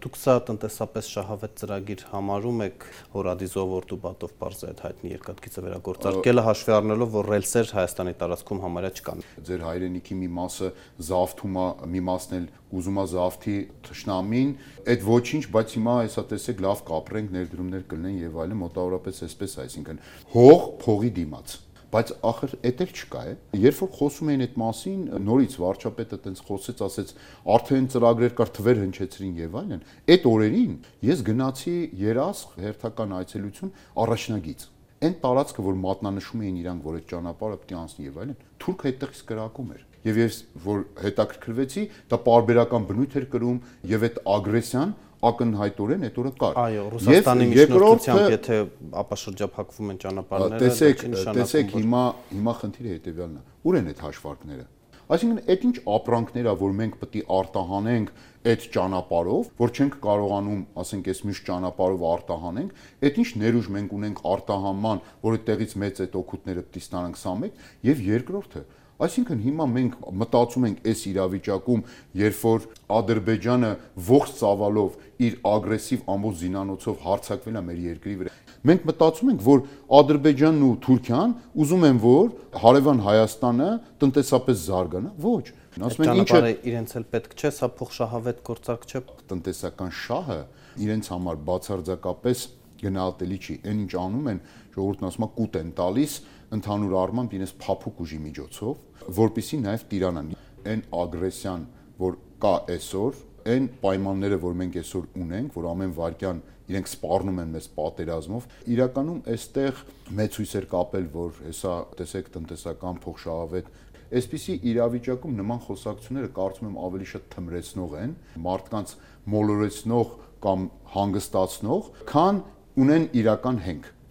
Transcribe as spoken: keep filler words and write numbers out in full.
Դուք սա տնտեսապես շահավետ ծրագիր համարում եք, որ Ադիզով Օրտուբատով պարզ է այդ հայտնի երկաթգիծը վերագործարկելը, հաշվի առնելով, որ ռելսեր Հայաստանի տարածքում համարյա չկան։ Ձեր հայրենիքի մի մասը զավթում է, մի մասն էլ ուզում է զավթի թշնամին, այդ ոչինչ, բայց հիմա հեսա տեսեք լավ կապրենք, ներդրումներ կլինեն եւ այլն, մոտավորապես այսպես, այսինքն հող փողի դիմաց։ Բայց ախր էդ էլ չկա է։ Երբ որ խոսում էին այդ մասին, նորից վարչապետը տենց խոսեց, ասեց, արդեն ծրագրեր կար, թվեր հնչեցրին եւ այլն։ Այդ օրերին ես գնացի երասխ հերթական այցելություն առաջնագիծ։ Այն տարածքը, որ մատնանշում էին իրանք, որ այդ ճանապարհը պետք է անցնի եւ այլն, թուրքը այդտեղից կրակում էր։ Եվ ես որ հետաքրքրվեցի, դա պարբերական բնույթ էր կրում եւ այդ ագրեսիան ակնհայտորեն այդ օրը կար։ Այո, Ռուսաստանի միջնորդությամբ եթե ապաշրջափակվում են ճանապարհները, տեսեք, տեսեք հիմա հիմա խնդիրը հետեւյալն է։ Ուր են այդ հաշվարկները։ Այսինքն այդ ինչ ապրանքներ ա, որ մենք պետք է արտահանենք այդ ճանապարհով, որ չենք կարողանում, ասենք, այս մյուս ճանապարհով արտահանենք, այդ ինչ ներուժ մենք ունենք արտահանման, որ այդտեղից մեծ այդ օգուտները պետք է ստանանք, սա մեկ, եւ երկրորդը Այսինքն հիմա մենք մտածում ենք այս իրավիճակում, երբ որ Ադրբեջանը ողջ ծավալով իր ագրեսիվ ամբողջ զինանոցով հարձակվել է մեր երկրի վրա։ Մենք մտածում ենք, որ Ադրբեջանն ու Թուրքիան ուզում են, որ հարևան Հայաստանը տնտեսապես զարգանա, ոչ։ Ասում են ինչը իրենց էլ պետք չէ, սա փոխշահավետ գործարք չէ։ Տնտեսական շահը իրենց համար բացարձակապես գնահատելի չի։ Այն ինչ անում են, ժողովուրդն ասում է կուտ են տալիս ընդհանուր առմամբ իրենց փափուկ ուժի միջոցով, որպեսզի նաև տիրանան այն ագրեսիան, որ կա այսօր, այն պայմանները, որ մենք այսօր ունենք, որ ամեն վարքյան իրենք սպառնում են մեզ պատերազմով, իրականում այստեղ մեծ հույս էր կապել, որ հեսա տեսեք տնտեսական փոխշահավետ Այսպիսի իրավիճակում նման խոսակցությունները կարծում եմ ավելի շատ թմրեցնող են, մարդկանց մոլորեցնող կամ հանգստացնող, քան ունեն իրական հենք։